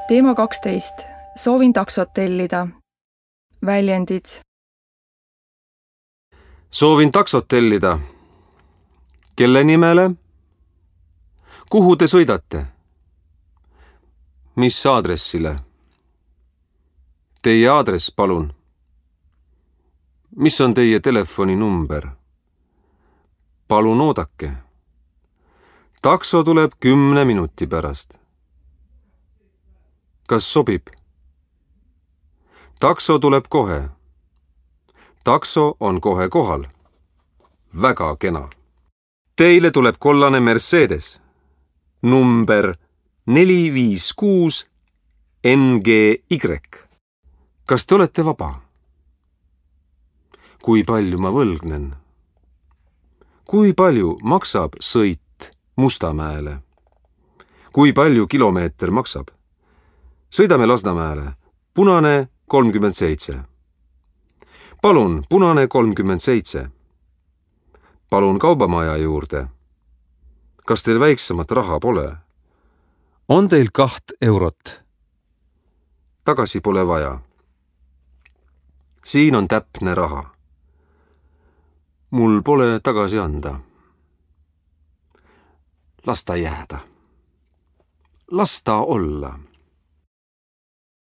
Teema 12. Soovin taksot tellida. Väljendid. Soovin taksot tellida. Kelle nimele? Kuhu te sõidate? Mis aadressile? Teie aadress, palun. Mis on teie telefoninumber? Palun oodake. Takso tuleb 10 minuti pärast. Kas sobib? Takso tuleb kohe. Takso on kohe kohal. Väga kena. Teile tuleb kollane Mercedes. Number 456 NGY. Kas te olete vaba? Kui palju ma võlgnen? Kui palju maksab sõit Mustamäele? Kui palju kilomeeter maksab? Sõidame Lasnamäele. Punane 37. Palun, punane 37. Palun kaubamaja juurde. Kas teil väiksemat raha pole? On teil 2 eurot? Tagasi pole vaja. Siin on täpne raha. Mul pole tagasi anda. Las ta jääda. Las ta olla.